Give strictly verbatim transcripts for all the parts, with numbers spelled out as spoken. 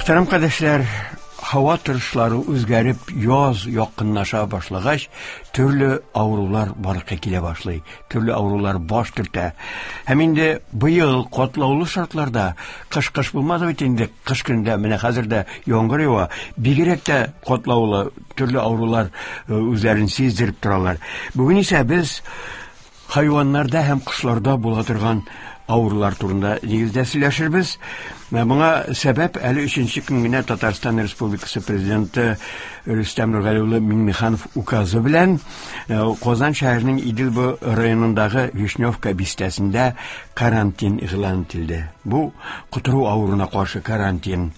Мөхтәрәм кардәшләр, һава торышлары үзгәреп, яз якынлаша башлагач, төрле авырулар барлыкка килә башлый, төрле авырулар баш төртә. Һәм инде быел катлаулы шартларда, кыш-кыш булмады бит инде, кыш көндә, менә хәзер дә яңгыр ява, бигрәк тә катлаулы төрле авырулар үзләрен сиздереп торалар. Бүген исә без хайваннарда һәм кошларда була торган авырулар турында нигездә сөйләшербез. Моңа сәбәп әле өченче көн генә Татарстан Республикасы Президенты Рөстәм Нургали улы Миңнеханов указы белән Казан шәһәренең Идел буе районындагы Вишневка бистәсендә карантин игълан ителде. Бу котыру авыруына каршы карантин.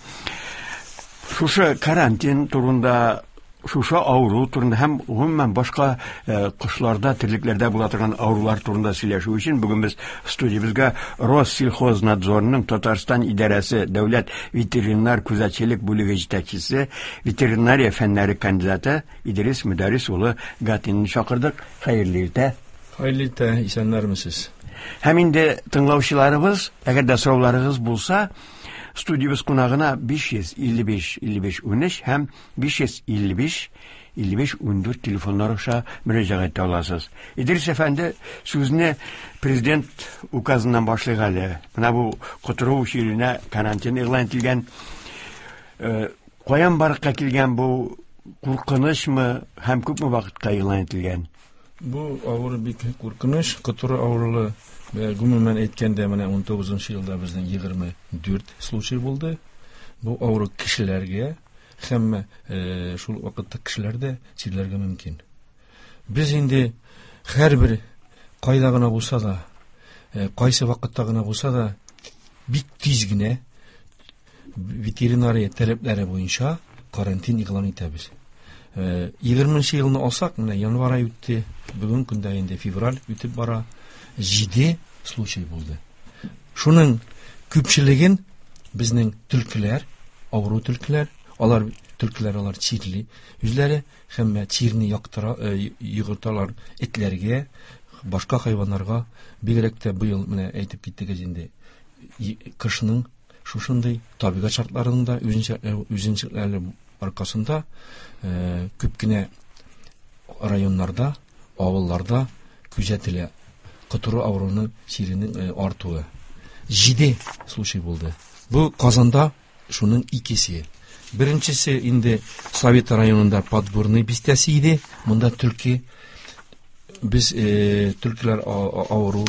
Шушы карантин турында, шушы авыру турында һәм гомумән башка кошларда, терлекләрдә була торган авырулар турында сөйләшү өчен бүген без студиябезгә Россельхознадзорның Татарстан идарәсе дәүләт ветеринар күзәтчелек бүлеге җитәкчесе, ветеринария фәннәре кандидаты Идрис Мөдәррис улы Гатинны чакырдык. Хәерле иртә. Хәерле иртә, исәннәрмесез. Һәм инде тыңлаучыларыбыз, әгәр дә сорауларыгыз булса, студиябез кунагына биш йөз илле биш илле биш унөч һәм биш йөз илле биш илле биш ундүрт телефоннар аша мөрәҗәгать итә аласыз. Идрис әфәнде, сүзне президент указыннан башлыйк әле. Менә бу котыру чиренә карантин игълан ителгән. Э, каян барлыкка килгән бу, куркынычмы һәм күпме вакытка игълан ителгән? Бу авыру бик куркыныч, котыру авыруы. Гомумән әйткәндә, менә ун тугызынчы елда безнең егерме дүрт случай булды. Бу авыру кешеләргә һәм, э, шул вакытта кешеләр дә чирләргә мөмкин. Без инде һәрбер кайда гына булса да, э, кайсы вакытта гына булса да, бик тиз генә ветеринария таләпләре буенча карантин игълан итәбез. Э, егерменче елны алсак, менә январь ае үтте, бүген көндә инде февраль үтеп бара. Җиде случай булды. Шуның күпчелеген безнең төлкеләр, авыру төлкеләр, алар төлкеләр алар чирли үзләре һәм чирне яктыра, э, йогырталар этләргә, башка хайваннарга. Бигрәк тә быел менә әйтеп киттегез инде, и-, кышның шушындый табигать шартларында үзенчәлекләре, үзенчәлекләре аркасында, э, күп кенә районнарда, авылларда күзәтелә котыру авыруының чиренең, э, артуы. Җиде случай булды. Бу Казанда шуның икесе. Беренчесе инде Совет районында Подгорный бистәсе иде. Монда төлке, без, э, төлкеләр а-, а-, авыру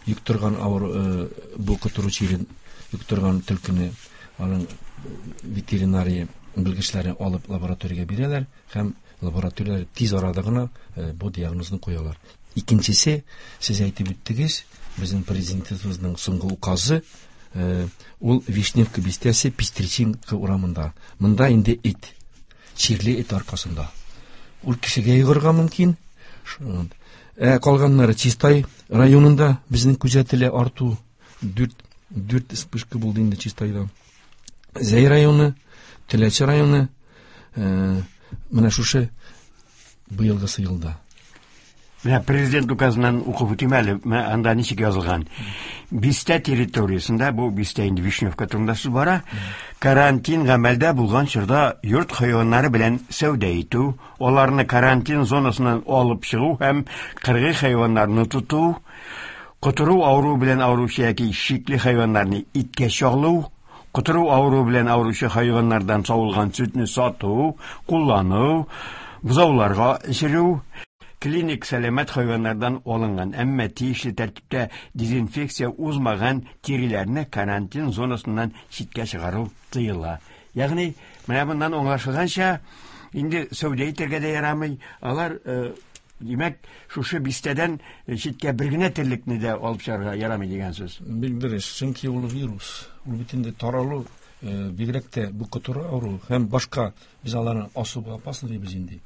йоктырган авыру, э, бу котыру чирен йоктырган төлкене аның ветеринария белгечләре алып лабораториягә бирәләр һәм лабораторияләр тиз арада гына, э, бу диагнозны куялар. Икенчесе, сез әйтеп үттегез, безнең президентыбызның соңгы указы, э, ул Вишневка бистәсе Пестричинка урамында. Монда инде ит, чирле ит аркасында. Ул кешегә йогырга мөмкин. Ш-, э, калганнары Чистай районында безнең күзәтелә арту. Дүрт, дүрт вспышка булды инде Чистайда. Зәй районы, Теләче районы, э, менә шушы быелгысы елда. Менә президент указыннан укып үтим әле, менә анда ничек язылган. Бистә территориясендә, бу бистә инде Вишневка турында сүз бара, карантин гамәлдә булган чорда йорт хайваннары белән сәүдә итү, аларны карантин зонасыннан алып чыгу һәм кыргый хайваннарны тоту, котыру авыруы белән авыручы яки шикле хайваннарны иткә чагылу, котыру авыруы белән авыручы хайваннардан савылган сөтне сату, куллану, бозауларга эчерү, клиник сәламәт хайваннардан алынган, әмма тиешле тәртиптә дезинфекция узмаган тиреләрне карантин зонасыннан читкә чыгару тыела. Ягъни, менә моннан аңлашылганча, инде сәүдә итәргә дә ярамый. Алар, э, димәк, шушы бистәдән читкә бер генә терлекне дә алып чыгарга ярамый дигән сүз. Бик дөрес, чөнки ул вирус, ул бит инде таралу, э, бигрәк тә бу котыру авыру һәм башка без аларны особо опасны дибез инде.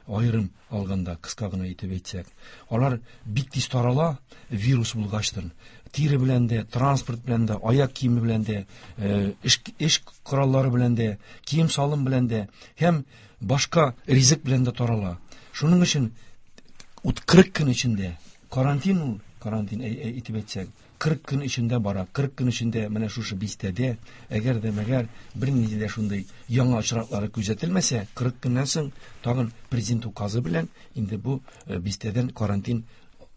Аерым алганда, кыска гына итеп әйтсәк, алар бик тиз тарала вирус булгачтын. Тире белән дә, транспорт белән дә, аяк киеме белән дә, э, эш, эш кораллары белән дә, кием-салым белән дә һәм башка ризык белән дә тарала. Шуның өчен ут кырык көн эчендә карантин ул, карантин, әй, әй, итеп әйтсәк, Кырык көн эчендә бара. Кырык көн эчендә менә шушы бистәдә, әгәр дә мәгәр бернинди дә шундый яңа очраклары күзәтелмәсә, кырык көннән соң тагын президент указы белән инде бу бистәдән карантин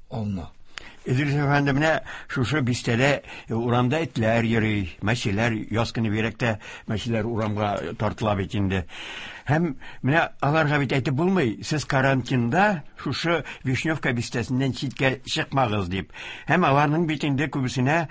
алына. Идрис әфәнде, менә шушы бистәдә урамда этләр йөри, мәчеләр, яз көне бигрәк тә мәчеләр урамга тартыла бит инде. Һәм менә аларга бит әйтеп булмый, сез карантинда шушы Вишневка бистәсеннән читкә чыкмагыз дип. Һәм аларның бит инде күбесенә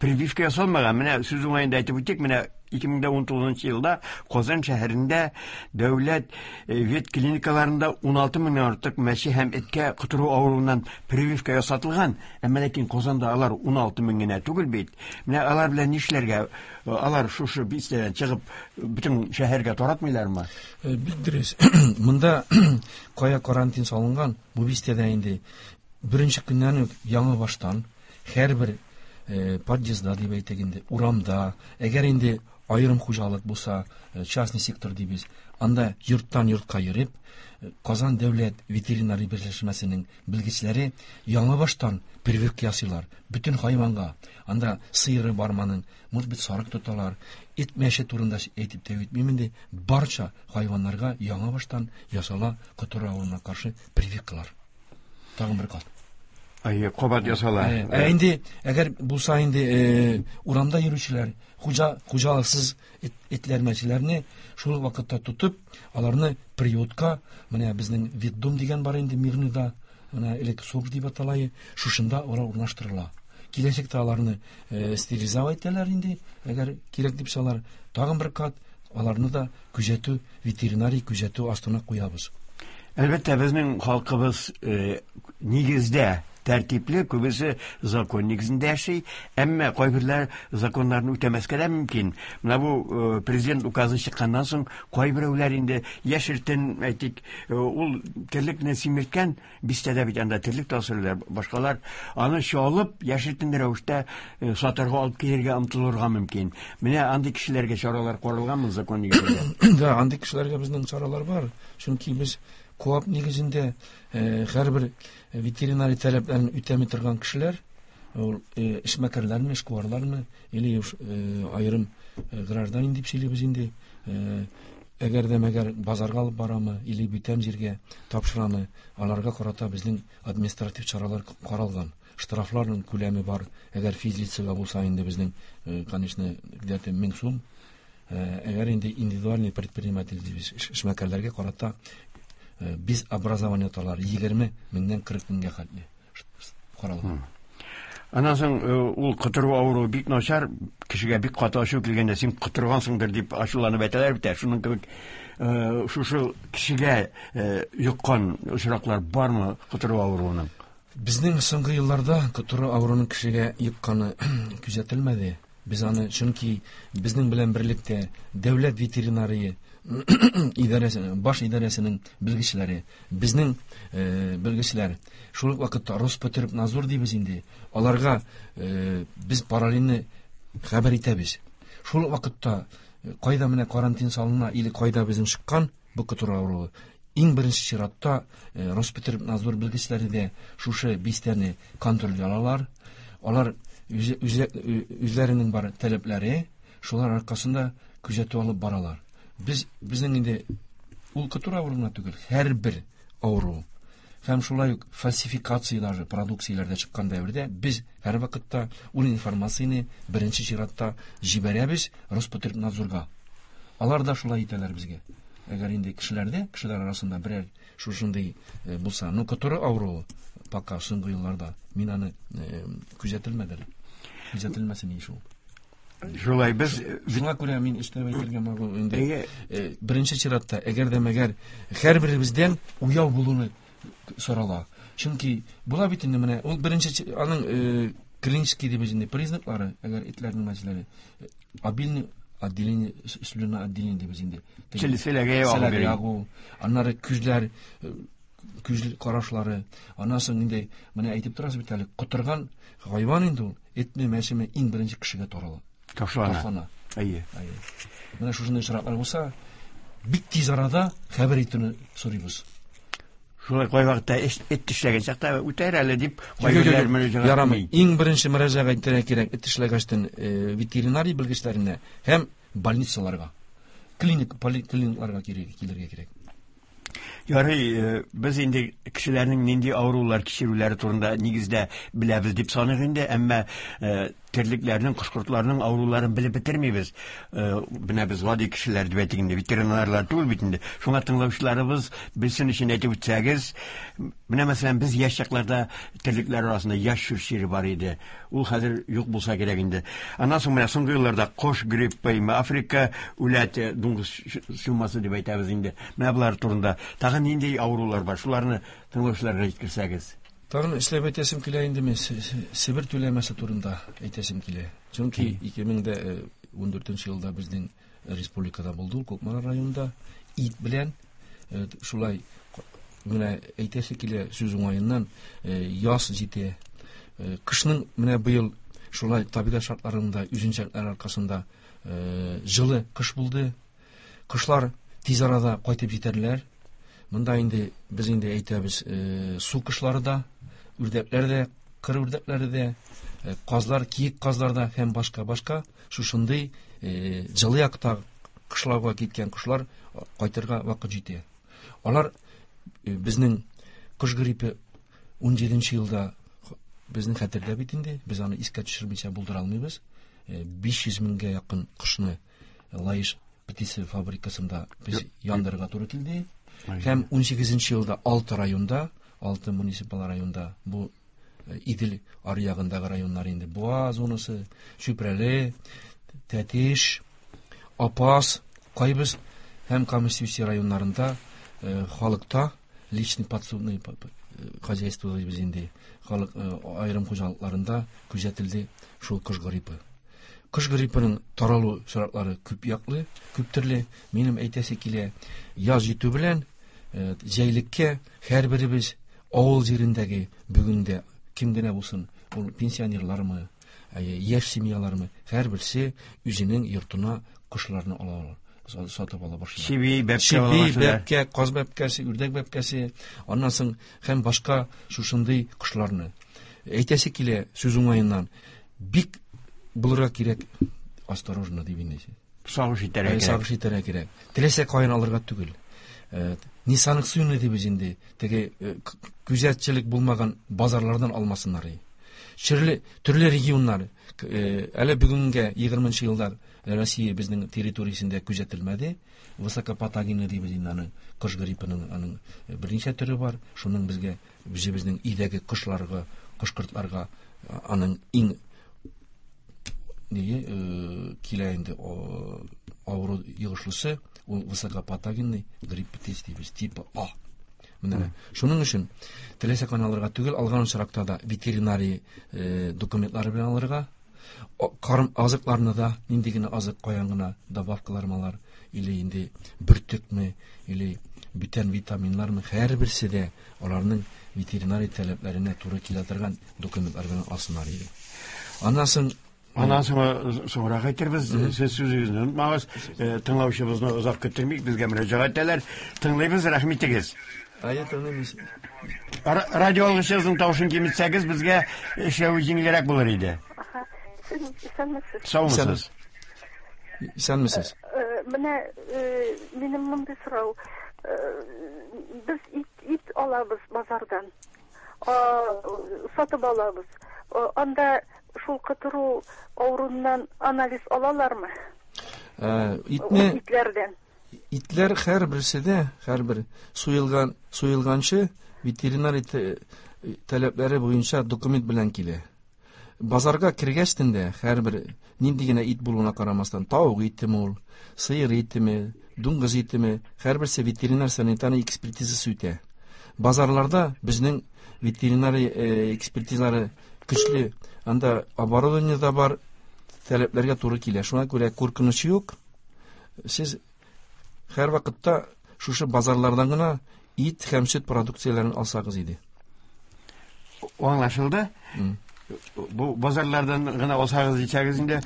прививка ясалмаган. Менә сүз уңаенда әйтеп үтик, менә ике мең ун тугызынчы елда Казан шәһәрендә дәүләт ветклиникаларында ун алты меңнән артык мәче һәм эткә котыру авыруыннан прививка ясатылган. Әмма ләкин Казанда алар ун алты мең генә түгел бит. Менә алар белән нишләргә? Алар шушы бистәдән чыгып бөтен шәһәргә таратмыйлармы? Бик дөрес. Монда кая карантин салынган, бу бистәдә инде беренче көннән үк яңа баштан һәрбер подъездда дип әйтик инде, урамда, әгәр инде аерым хуҗалык булса, частный сектор дибез, анда йорттан йортка йөреп, Казан дәүләт ветеринария берләшмәсенең белгечләре яңа баштан прививка ясыйлар бөтен хайванга. Анда сыеры барманың, может быть, сарык тоталар, ит мәче турында әйтеп тә үтмим инде, барча хайваннарга яңа баштан ясала котыру авыруына каршы прививкалар. Тагын бер кат. Әйе, кабат ясала. Ә инде әгәр булса инде урамда йөрүчеләр, хуҗа хуҗалыксыз этләр мәчеләрне шул вакытта тотып, аларны приютка, менә безнең ветдом дигән бар инде Мирныйда, менә элек СОК дип атала, шушында урнаштырыла. Киләчәктә аларны стерилизовать итәләр инде, әгәр кирәк дип салар, тагын бер кат аларны да күзәтү, ветеринарий күзәтү астына куябыз. Әлбәттә, безнең халкыбыз нигездә тәртипле, күбесе закон нигезендә яши, әмма кайберләр законнарны үтәмәскә дә мөмкин. Менә бу президент указы чыкканнан соң кайберәүләр инде яшертен, әйтик, ул терлекне симерткән, бистәдә бит анда терлек тасырлар, башкалар аны чалып яшертен рәвештә сатарга алып килергә омтылырга мөмкин. Менә андый кешеләргә чаралар каралганмы закон нигезендә? Да, андый кешеләргә безнең чаралар бар. Чөнки без КОАП нигезендә һәрбер ветеринарий таләпләрен үтәми торган кешеләр, ул эшмәкәрләрме, эшкуарлармы, или аерым гражданин дип сөйлибез инде, әгәр дә мәгәр базарга алып барамы, или бүтән җиргә тапшырамы, аларга карата безнең административ чаралар каралган. Штрафларның күләме бар. Әгәр физлицага булса инде безнең, конечно, где-то мең сум. Әгәр инде индивидуальный предприниматель дибез, эшмәкәрләргә карата без образование талар егерме меңнән кырык меңгә хәтле каралган. Аннан соң ул котыру авыруы бик начар, кешегә бик каты ачу килгәндә син котыргансыңдыр дип ачуланып әйтәләр бит. Шуның кебек шушы кешегә йоккан очраклар бармы котыру авыруының? Безнең соңгы елларда котыру авыруының кешегә йокканы күзәтелмәде. Без аны, чөнки безнең белән берлектә дәүләт ветеринария идарәсе, баш идарәсенең белгечләре, безнең белгечләр, шул ук вакытта Роспотребнадзор дибез инде, аларга без параллельне хәбәр итәбез. Шул ук вакытта кайда менә карантин салына или кайда безнең чыккан бу котыру авыруы, иң беренче чиратта Роспотребнадзор белгечләре дә шушы бистәне контрольгә алалар. Алар үзләренең бар таләпләре, шулар аркасында күзәтү алып баралар. Без безнең инде ул котыру авыруына түгел, һәрбер авыру һәм шулай ук фальсификация даже продукцияләрдә чыккан дәвердә без һәр вакытта ул информацияне беренче чиратта җибәрәбез Роспотребнадзорга. Алар да шулай итәләр безгә. Әгәр инде кешеләрдә, кешеләр арасында берәр шушындый булса, ну котыру авыруы пока соңгы елларда мин аны күзәтелмәде. Күзәтелмәсен ич ул. Шулай без шуңа күрә мин эшләп әйтергә могу инде. Беренче чиратта, әгәр дә мәгәр һәрберебездән уяу булуны сорала. Чөнки була бит инде менә ул беренче аның клинический дибез инде признаклары, әгәр этләрнең мәчеләре, обильный отделение, слюна отделение дибез инде. Селәгә ягу, аннары күзләр, күз карашлары, аннан соң инде менә әйтеп торасыз бит әле, котырган хайван инде ул, этме, мәчеме иң беренче кешегә тарала. Ташлана. Әйе. Менә шушындый очраклар булса, бик тиз арада хәбәр итүне сорыйбыз. Шулай кайвакытта эт тешләгән чакта үтәр әле дип кайберләр мөрәҗәгать ярамый. Иң беренче мөрәҗәгать итәргә кирәк эт тешләгәчтен ветеринария белгечләренә һәм больницаларга, клиник поликлиникларга килергә кирәк. Ярый, без инде кешеләрнең нинди авырулар кичерүләре турында нигездә беләбез дип саныйк инде, әмма терлекләрнең, кош-кортларның авыруларын белеп бетермибез. Менә без гади кешеләр дип әйтик инде, ветеринарлар түгел бит инде. Шуңа тыңлаучыларыбыз белсен өчен әйтеп үтсәгез, менә мәсәлән, без яшь чакларда терлекләр арасында ящур чире бар иде. Ул хәзер юк булса кирәк инде. Аннан соң менә соңгы елларда кош гриппы, Африка үләте, дуңгыз чумасы дип әйтәбез инде. Менә болар турында тагын нинди авырулар бар? Шуларны тыңлаучыларга җиткерсәгез. Тагын эшләп әйтәсем килә инде мин Себер түләмәсе турында әйтәсем килә. Чөнки ике мең ун дүртенче елда безнең республикада булды ул, Кукмара районында ит белән шулай менә әйтәсе килә сүз уңаеннан, яз җитә. Кышның менә быел шулай табигать шартларында, үзенчәлекләр аркасында җылы кыш булды. Кышлар тиз арада кайтып җитәрләр. Монда инде без инде әйтәбез, су кышлары да, үрдәкләр дә, кыр үрдәкләре дә, казлар, киек казлар да һәм башка-башка шушындый җылы якта кышлауга киткән кошлар кайтырга вакыт җитә. Алар безнең кош гриппы ун җиденче елда безнең хәтердә бит инде, без аны искә төшермичә булдыра алмыйбыз. биш йөз меңгә якын кошны Лаеш птица фабрикасында без яндырырга туры килде. Һәм ун сигезенче елда алты районда, алты муниципаль районда, бу Идел аръягындагы районнар инде, Буа зонасы, Чүпрәле, Тәтеш, Апас, Кайбыз һәм Камышлы районнарында халыкта личный подсобный хозяйство дибез инде, халык аерым хуҗалыкларында күзәтелде шул кош гриппы. Кош гриппының таралу шартлары күп яклы, күп төрле. Минем әйтәсе килә, яз җитү белән җәйлеккә һәрберебез авыл җирендәге бүген дә кем генә булсын, ул пенсионерлармы, яшь семьялармы, һәрберсе үзенең йортына кошларны ала ала, сатып ала башлый. Чеби, бәбкә, чеби, бәбкә, каз бәбкәсе, үрдәк бәбкәсе, аннан соң һәм башка шушындый кошларны. Әйтәсе килә сүз уңаеннан, бик булырга кирәк, осторожно дип инде. Сагыш итәргә кирәк. Сагыш итәргә кирәк. Теләсә каян алырга түгел. Несанкционный дибез инде, теге күзәтчелек булмаган базарлардан алмасыннар. Төрле, төрле регионнар, әле бүгенгә егерменче еллар Россия безнең территориясендә күзәтелмәде. Высокопатогенный дибез инде аның, кош гриппының аның берничә төре бар. Шуның безгә, үзебезнең өйдәге кошларга, кош-кортларга аның иң нее килә инде авыру йогышлысы, ул высокопатогенный грипп дибез, типа А. Менә шуның өчен теләсә каян алырга түгел, алган очракта да ветеринария документлары белән алырга, карым азыкларны да, нинди генә азык каян гына добавкалар малар, или инде бөртекме, или бүтән витаминнармы, һәрберсе дә аларның ветеринария таләпләренә туры килә торган документлар белән алсыннар иде. Аннан соң Аннан соң соңрак әйтербез, сез сүзегезне онытмагыз, тыңлаучыбызны озак көттермик, безгә мөрәҗәгать итәләр. Тыңлыйбыз, рәхмәт итегез. Әйе, тыңлыйбыз. Радио алгычыгызның тавышын киметсәгез, безгә эшләү җиңелрәк булыр иде. Исәнмесез. Саумысыз. Исәнмесез. Менә минем мондый сорау. Без ит, ит алабыз базардан. Сатып алабыз. Анда шул котыру авыруыннан анализ алалармы? Итне итләрдән. Итләр һәрберсе дә, һәрбер суелган, суелганчы ветеринария таләпләре буенча документ белән килә. Базарга кергәчтен дә һәрбер нинди генә ит булуына карамастан, тавык итеме ул, сыер итеме, дуңгыз итеме, һәрберсе ветеринар санитария экспертизасы үтә. Базарларда безнең ветеринария экспертизалары көчле, анда оборудование да бар, таләпләргә туры килә. Шуңа күрә куркыныч юк. Сез һәр вакытта шушы базарлардан гына ит һәм сөт продукцияләрен алсагыз иде. Аңлашылды. Бу базарлардан гына алсагыз ичәгез инде,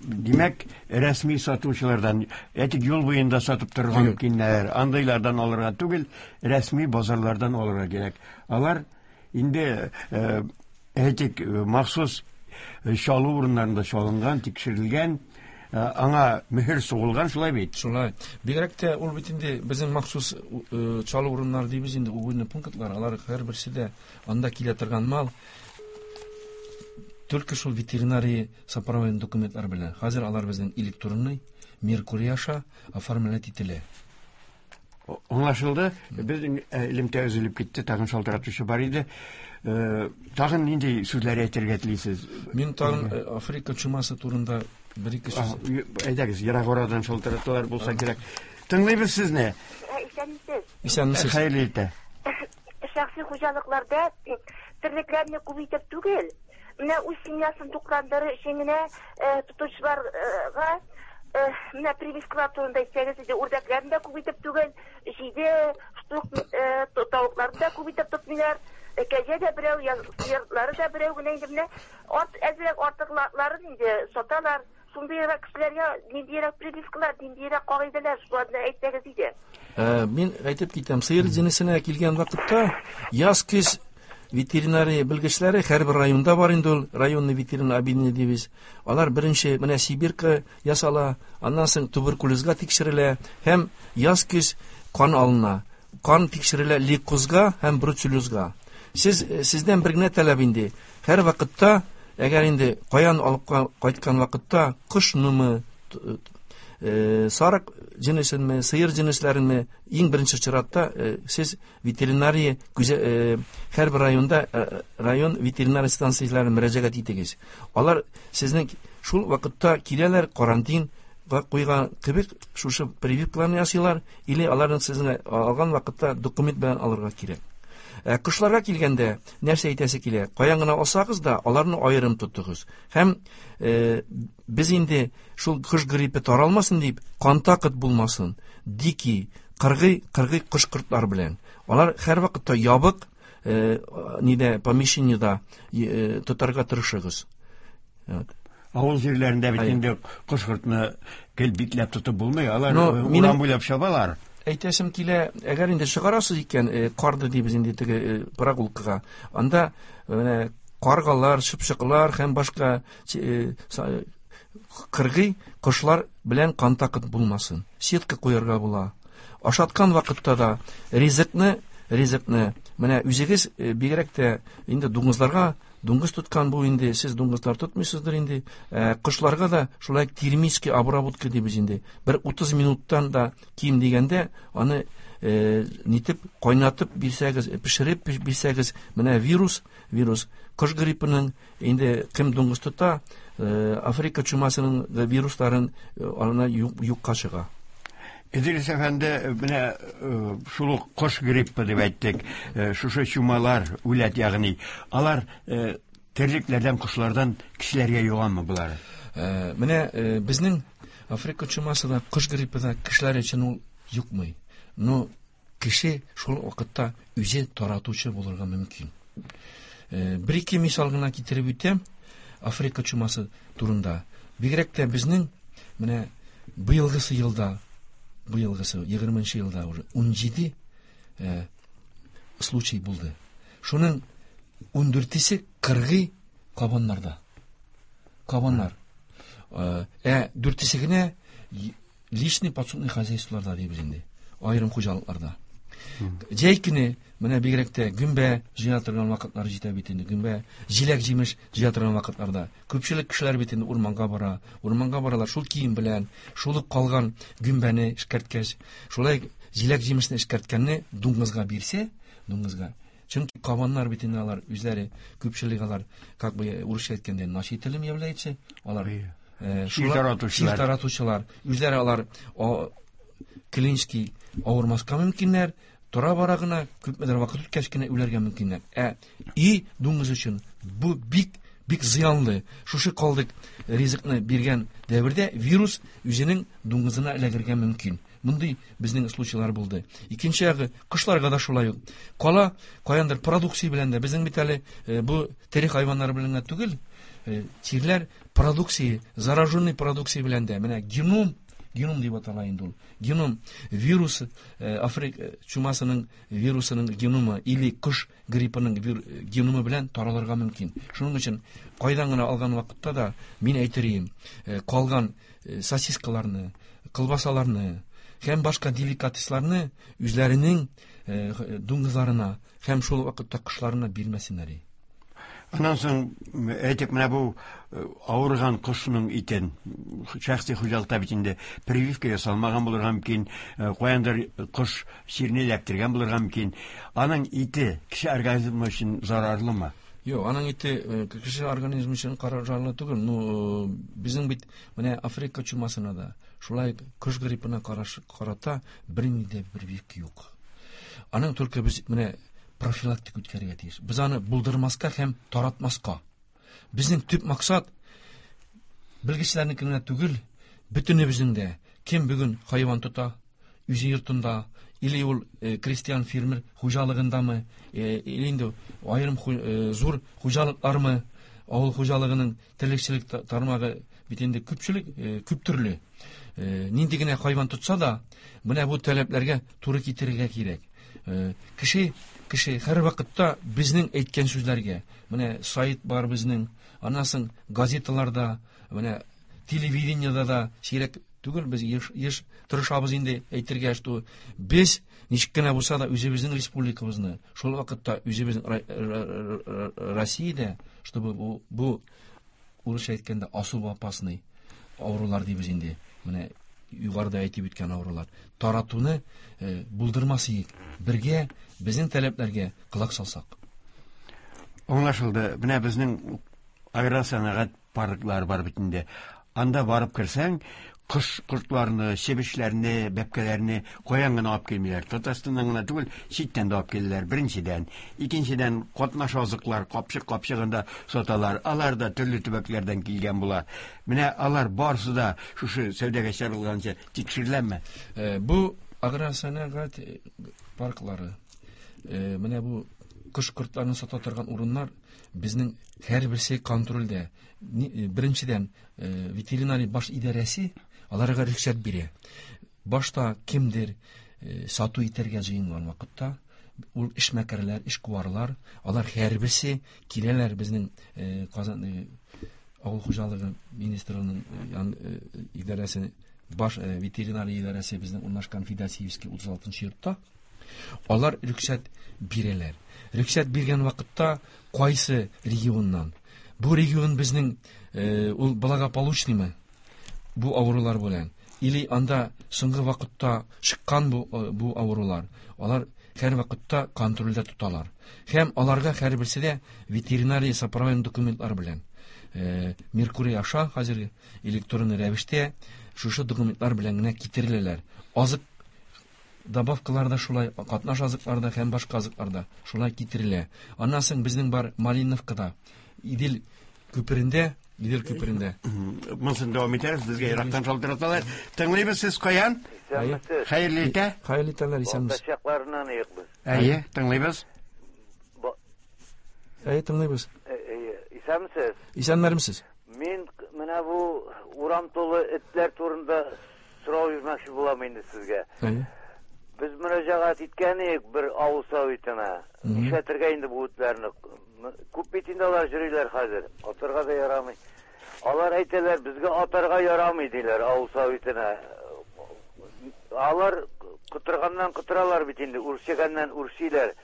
димәк, рәсми сатучылардан, әйтик, юл буенда сатып торган мөмкиннәр, андыйлардан алырга түгел, рәсми базарлардан алырга кирәк. Алар инде, әйтик, махсус чалу урыннарында чалынган, тикшерелгән, аңа мөһер сугылган, шулай бит? Шулай. Бигрәк тә ул бит инде безнең махсус чалу урыннары дибез инде, убойный пунктлар, алар һәрберсе дә анда килә торган мал только шул ветеринария сопроводительный документлар белән. Хәзер алар безнең электронный Меркурий аша оформлять ителә. Аңлашылды. Безнең элемтә өзелеп китте, тагын шалтыратучы бар иде. Тагын нинди сүзләр әйтергә телисез? Мин тагын Африка чумасы турында бер ике сүз. Әйдәгез, ерак арадан шалтыратулар булса кирәк. Тыңлыйбыз сезне. Исәнмесез. Исәнмесез. Хәерле иртә. Шәхси хуҗалыкларда терлекләрне күп итеп түгел, менә үз семьясын тукландыру өчен генә тотучыларга менә прививкалар турында әйтсәгез иде, үрдәкләрне дә күп итеп түгел, җиде штук тавыкларны да күп итеп тотмыйлар, кәҗә дә берәү, сыерлары да берәү генә инде менә әзрәк артыкларын инде саталар. Шундыйрак кешеләргә ниндирәк прививкалар, ниндирәк кагыйдәләр, шуларны әйтсәгез иде. Мин әйтеп китәм, сыер җенесенә килгән вакытта яз көз ветеринария белгечләре һәрбер районда бар инде ул, районный ветеринар объединение дибез. Алар беренче менә Сибирка ясала, аннан соң туберкулезга тикшерелә һәм яз көз кан алына. Кан тикшерелә лейкозга һәм бруцеллезга. Сез сездән бер генә таләп инде. Һәр вакытта, әгәр инде каян алып кайткан вакытта кошнымы, сарык җенесенме, сыер җенесләренме, иң беренче чиратта сез ветеринария һәрбер районда район ветеринария станцияләренә мөрәҗәгать итегез. Алар сезнең шул вакытта киләләр, карантинга куйган кебек шушы прививкаларны ясыйлар, или аларның сезне алган вакытта документ белән алырга кирәк. Кошларга килгәндә нәрсә әйтәсе килә? Каян гына алсагыз да, аларны аерым тотыгыз. Һәм без инде шул кош гриппы таралмасын дип, контакт булмасын, дикий, кыргый, кыргый кош кортлар белән. Алар һәр вакытта ябык, нидә, помещениедә тотарга тырышыгыз. Авыл җирләрендә бит инде кош кортны гел бикләп тотып булмый, алар урам буйлап чабалар. Әйтәсем килә, әгәр инде чыгарасыз икән, карды дибез инде теге прогулкага, анда менә каргалар, чыпчыклар һәм башка кыргый кошлар белән контакт булмасын. Сетка куярга була. Ашаткан вакытта да ризыкны, ризыкны менә үзегез бигрәк тә инде дуңгызларга, дуңгыз тоткан бу инде, сез дуңгызлар тотмыйсыздыр инде. Кошларга да шулай термический обработка дибез инде. Бер утыз минуттан да ким дигәндә аны нитеп кайнатып бирсәгез, пешереп бирсәгез, менә вирус, вирус кош гриппының инде кем дуңгыз тота, Африка чумасының вирусларын аны юкка чыга. Идрис әфәнде, менә шул ук кош гриппы дип әйттек, шушы чумалар, үләт ягъни, алар терлекләрдән, кошлардан кешеләргә йогамы болар? Менә безнең Африка чумасы да, кош гриппы да кешеләр өчен ул юкмый. Но кеше шул вакытта үзе таратучы булырга мөмкин. Бер ике мисал гына китереп үтәм Африка чумасы турында. Бигрәк тә безнең менә быелгысы елда, быелгысы егерменче елда уже унҗиде случай булды. Шуның ундүртесе кыргый кабаннарда. Кабаннар. Ә дүртесе генә личный подсобный хозяйстволарда дибез инде, аерым хуҗалыкларда. Җәй көне менә бигрәк тә гөмбә җыя торган вакытлар җитә бит инде, гөмбә, җиләк-җимеш җыя торган вакытларда. Күпчелек кешеләр бит инде урманга бара, урманга баралар шул кием белән, шул ук калган гөмбәне эшкәрткәч, шулай җиләк-җимешне эшкәрткәнне дуңгызга бирсә, дуңгызга. Чөнки кабаннар бит инде алар үзләре, күпчелек алар, как бы урысча әйткәндә, носителем являются, алар чир таратучылар. Чир таратучылар. Үзләре алар клинический авырмаска мөмкиннәр, тора бара гына күпмедер вакыт үткәч кенә үләргә мөмкиннәр. Ә и дуңгыз өчен бу бик бик зыянлы. Шушы калдык ризыкны биргән дәвердә вирус үзенең дуңгызына эләгергә мөмкин. Мондый безнең случайлар булды. Икенче ягы, кошларга да шулай ук. Кала каяндыр продукция белән дә, безнең бит әле бу тере хайваннар белән генә түгел, чирләр продукция, зараженный продукция белән дә. Менә геном, геном дип атала инде ул. Геном вирус, Африка чумасының вирусының геномы или кош гриппының геномы белән таралырга мөмкин. Шуның өчен кайдан гына алган вакытта да мин әйтер идем, калган сосискаларны, колбасаларны һәм башка деликатесларны үзләренең дуңгызларына һәм шул вакытта кошларына бирмәсеннәр. Аннан соң әйтик, менә бу авырган кошның итен шәхси хуҗалыкта бит инде прививка ясалмаган булырга мөмкин, каяндыр кош чирне эләктергән булырга мөмкин. Аның ите кеше организмы өчен зарарлымы? Юк, аның ите кеше организмы өчен зарарлы түгел. Ну, безнең бит менә Африка чумасына да, шулай кош гриппына карата бернинди дә прививка юк. Аның только без менә профилактика үткәрергә тиеш. Без аны булдырмаска һәм таратмаска. Безнең төп максат белгечләрнеке генә түгел, бөтенебезнең дә. Кем бүген хайван тота, үзе йортында, или ул крестьян фермер хуҗалыгындамы, или инде аерым зур хуҗалыклармы, авыл хуҗалыгының терлекчелек тармагы бит инде күпчелек, күп төрле. Нинди генә хайван тотса да, менә бу таләпләргә туры китерергә кирәк. Кеше, кеше һәр вакытта безнең әйткән сүзләргә, менә сайт бар безнең, аннан соң газеталарда, менә телевидениедә да сирәк түгел, без еш, еш тырышабыз инде әйтергә, что без ничек кенә булса да үзебезнең республикабызны, шул вакытта үзебезнең Россиядә, чтобы бу, бу урысча әйткәндә особо опасный авырулар дибез инде, менә югарыда әйтеп үткән авырулар таратуны булдырмас идек, бергә безнең таләпләргә колак салсак. Аңлашылды. Менә безнең аграр сәнәгать парклары бар бит инде. Анда барып керсәң, кош кортларны, чебешләрне, бәбкәләрне каян гына алып килмиләр. Татарстаннан гына түгел, читтән дә алып киләләр. Беренчедән, икенчедән катнаш азыклар капчык-капчыгында саталар. Алар да төрле төбәкләрдән килгән була. Менә алар барысы да шушы сәүдәгә чыгарылганчы тикшереләме? Бу аграр сәнәгать парклары, менә бу кош кортларын сата торган урыннар безнең һәрберсе контрольдә. Беренчедән, ветеринария баш идарәсе аларга рөхсәт бирә. Башта кемдер сату итәргә җыенган вакытта, ул эшмәкәрләр, эшкуарлар, алар һәрберсе киләләр безнең Казан авыл хуҗалыгы министрлыгының идарәсе, баш ветеринария идарәсе безнең урнашкан Федосеевский утыз алтынчы йортта. Алар рөхсәт бирәләр. Рөхсәт биргән вакытта кайсы регионнан? Бу регион безнең ул благополучныймы? Бу авырулар белән. Или анда соңгы вакытта чыккан бу, бу авырулар. Алар һәр вакытта контрольдә тоталар. Һәм аларга һәрберсе дә ветеринария сопроводительный документлар белән. Меркурий аша хәзер электрон рәвештә шушы документлар белән генә китереләләр. Азык добавкаларда шулай, катнаш азыкларда һәм башка азыкларда шулай китерелә. Аннан соң безнең бар Малиновкада, Идел күперендә, Идел күперендә. Монысын дәвам итәрбез, безгә ерактан шалтыраталар. Тыңлыйбыз, сез каян? Хәерле иртә. Хәерле иртәләр, исәнмесез. Балтачакларыннан ыйык без. Әйе, тыңлыйбыз. Әйе, тыңлыйбыз. Исәнмесез. Исәннәрмесез. Мин менә бу урам тулы этләр турында сорау бирмәкче булам инде сезгә. Әйе. Без мөрәҗәгать иткән идек бер авыл советына. Нишләтергә инде бу этләрне? Күп бит инде алар йөриләр хәзер. Атарга да ярамый. Алар әйтәләр, безгә атарга ярамый диләр авыл советына. Алар котырганнан котыралар бит инде, үрчегәннән үрчиләр.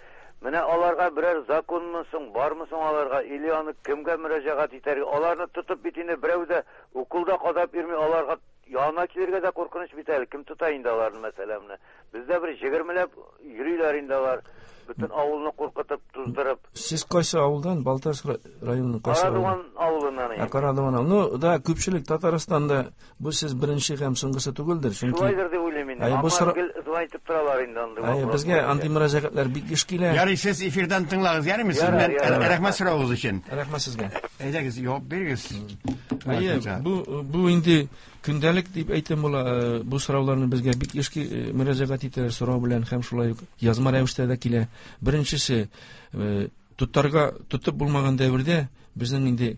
Менә аларга берәр законмы соң, бармы соң аларга, или аны кемгә мөрәҗәгать итәргә? Аларны тотып бит инде берәү дә уколда кадап йөрми, аларга янына килергә дә куркыныч бит әле. Кем тота инде аларны, мәсәлән, менә? Бездә бер егермеләп йөриләр инде алар, бөтен авылны куркытып, туздырып. Сез кайсы авылдан? Балтач районының кайсы авылы? Карадуган авылыннан. Ә, Карадуган авылы. Ну, да, күпчелек Татарстанда бу сез беренче һәм соңгысы түгелдер, чөнки шулайдыр дип уйлыйм инде. Аңа гел звонить торалар инде андый. Әйе, безгә андый мөрәҗәгатьләр бик еш килә. Ярый, сез эфирдан тыңлагыз, ярыймы? Сездән рәхмәт соравыгыз өчен. Рәхмәт сезгә. Әйдәгез, җавап бирегез. Әйе, бу бу инде көндәлек дип әйтәм була. Бу сорауларны безгә бик еш мөрәҗәгать итәләр сорау белән һәм шулай ук язма рәвештә дә килә. Беренчесе, тотарга тотып булмаган дәвердә безнең инде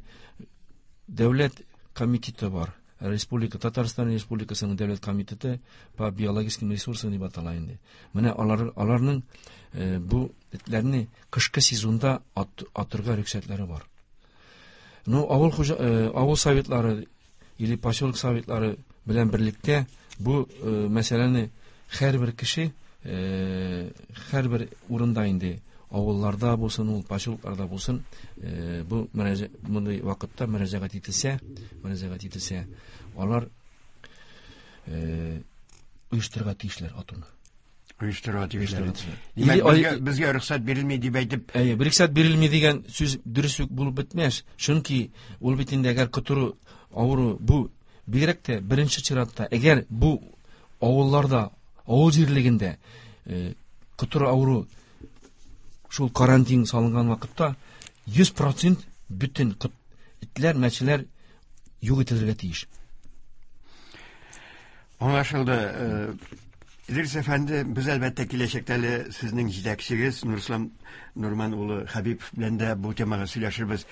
дәүләт комитеты бар. Республика Татарстан Республикасының дәүләт комитеты по биологическим ресурсам дип атала инде. Менә алар аларның бу этләрне кышкы сезонда атырга рөхсәтләре бар. Ну, авыл хуҗа, авыл советлары или поселок советлары белән берлектә бу мәсьәләне һәрбер кеше, һәрбер урында инде авылларда булсын, ул поселокларда булсын, бу мондый вакытта мөрәҗәгать ителсә, мөрәҗәгать ителсә, алар оештырырга тиешләр атуны. Оештырырга тиешләр. Димәк, безгә рөхсәт бирелми дип әйтеп, әйе, рөхсәт бирелми дигән сүз дөрес үк булып бетмәс. Чөнки ул бит инде әгәр котыру авыру бу бигрәк тә беренче чиратта, әгәр бу авылларда, авыл җирлегендә котыру авыру шул карантин салынган вакытта йөз процент бөтен этләр, мәчеләр юк ителергә тиеш. Аңлашылды. Идрис әфәнде, без әлбәттә киләчәктә әле сезнең җитәкчегез Нурислам Нурман улы Хәбибов белән дә бу темага сөйләшербез.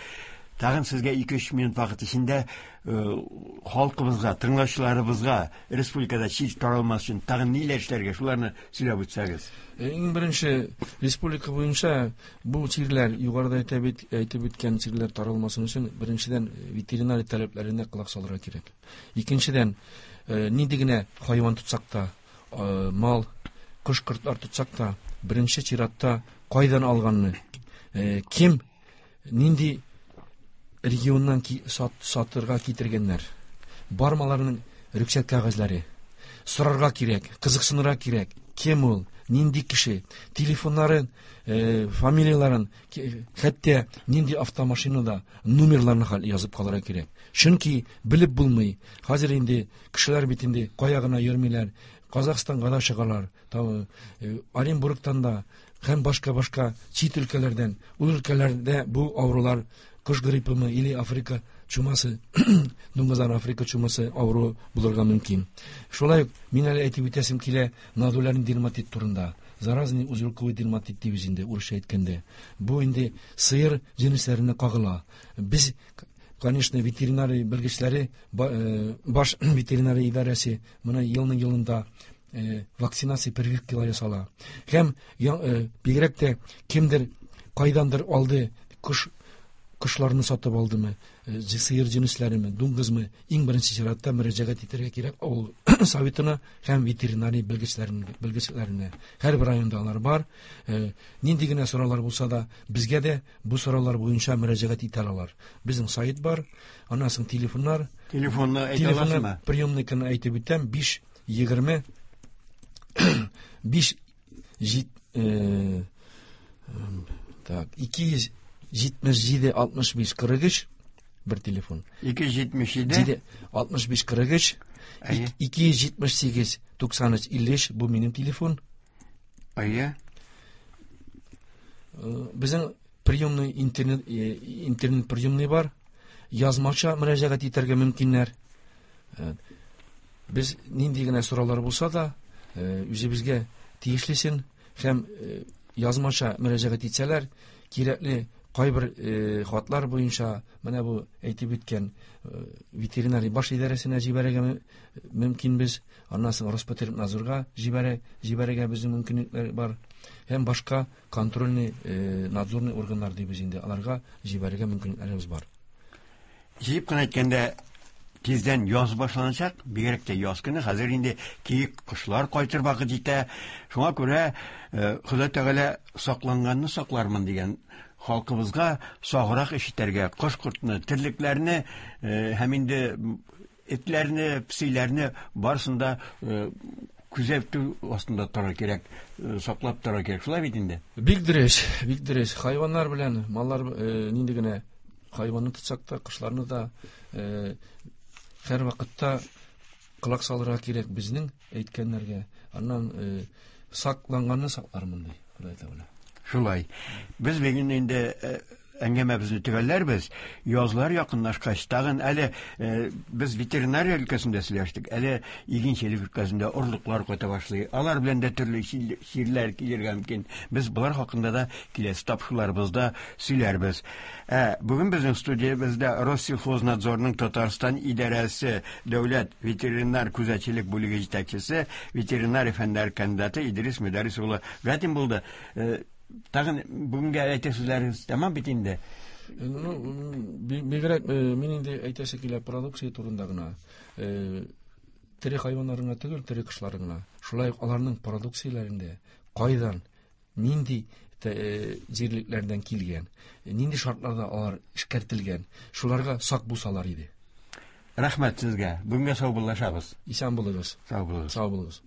Тагын сезгә ике-өч минут вакыт эчендә халкыбызга, тыңлаучыларыбызга республикада чир таралмас өчен тагын ниләр эшләргә, шуларны сөйләп үтсәгез. Иң беренче, республика буенча бу чирләр, югарыда әйтеп үткән чирләр таралмасын өчен беренчедән ветеринария таләпләренә колак салырга кирәк. Икенчедән, нинди генә хайван тотсак та, мал, кош-кортлар тотсак та, беренче чиратта кайдан алганны, кем, нинди регионнан сатырга китергәннәр, бармаларының рөхсәт кәгазьләре, сорарга кирәк, кызыксынырга кирәк, кем ул, нинди кеше, телефоннарын, фамилияларын, хәтта нинди автомашинада номерларын язып калырга кирәк. Чөнки белеп булмый. Хәзер инде кешеләр бит инде кая гына йөрмиләр, Казахстанга да чыгалар, Оренбургтан да һәм башка-башка чит өлкәләрдән. Ул өлкәләрдә бу авырулар кош гриппымы или Африка чумасы, дуңгызлар Африка чумасы авыру булырга мөмкин. Шулай ук мин әле әйтеп үтәсем килә нодулярный дерматит турында. Заразный узелковый дерматит дибез инде урысча әйткәндә. Бу инде сыер җенесләренә кагыла. Без, конечно, ветеринария белгечләре, баш ветеринария идарәсе моны елның елында вакцинация прививкалар ясала. Һәм бигрәк тә кемдер кайдандыр алды кош кошларны сатып алдымы, сыер җенесләреме, дуңгызмы, иң беренче чиратта мөрәҗәгать итәргә кирәк авыл советына һәм ветеринария белгечләренә. Һәрбер районда алар бар. Нинди генә сораулар булса да, безгә дә бу сораулар буенча мөрәҗәгать итә алалар. Безнең сайт бар, аннан соң телефоннар. Телефонны әйтә аласызмы? Приемникны әйтеп үтәм, биш егерме биш так, ике йөз җитмеш җиде алтмыш биш кырык өч бер телефон. Ике йөз җитмеш җиде алтмыш биш кырык өч, ике йөз җитмеш сигез туксан өч илле өч бу минем телефон. Әйе. Безнең приемный интернет, интернет приемный бар. Язмача мөрәҗәгать итәргә мөмкиннәр. Без нинди генә сораулар булса да, үзебезгә тиешлесен һәм язмача мөрәҗәгать итсәләр, кирәкле кайбер хатлар буенча менә бу әйтеп үткән ветеринария баш идарәсенә җибәрергә мөмкинбез, аннан соң Роспотребнадзорга җибәрә, җибәрергә безнең мөмкинлекләр бар һәм башка контрольный надзорный органнар дибез инде, аларга җибәрергә мөмкинлекләребез бар. Җыеп кына әйткәндә, тиздән яз башланачак, бигрәк тә яз көне, хәзер инде киек кошлар кайтыр вакыт җитә. Шуңа күрә Ходай Тәгалә сакланганны саклармын дигән халкыбызга саграк эш итәргә, кош-кортны, терлекләрне һәм инде этләрне, песиләрне барысын да күзәтү астында торырга кирәк, саклап торырга кирәк. Шулай бит инде? Бик дөрес, бик дөрес. Хайваннар белән маллар нинди генә хайванны тотсак та, кошларны да һәр вакытта колак салырга кирәк безнең әйткәннәргә. Аннан сакланганны саклармын ди, Ходай Тәгалә. Шулай. Без бүген инде әңгәмәбезне төгәлләрбез. Язлар якынлашкач, тагын әле без ветеринария өлкәсендә сөйләштек, әле игенчелек өлкәсендә орлыклар кайта башлый. Алар белән дә төрле чирләр килергә мөмкин. Без болар хакында да киләсе тапшыруларыбызда сөйләрбез. Ә бүген безнең студиябездә Россельхознадзорның Татарстан идарәсе дәүләт ветеринар күзәтчелек бүлеге җитәкчесе, ветеринар фәннәр кандидаты Идрис Мөдәррис улы Гатин булды. Тагын бүгенгә әйтер сүзләрегез тәмам бит инде. Ну, бигрәк мин инде әйтәсе килә продукция турында гына. Тере хайваннар гына түгел, тере кошлар гына. Шулай ук аларның продукцияләрендә кайдан, нинди җирлекләрдән килгән, нинди шартларда алар эшкәртелгән, шуларга сак булсалар иде. Рәхмәт сезгә. Бүгенгә сау буллашабыз. Исән булыгыз. Сау булыгыз. Сау булыгыз.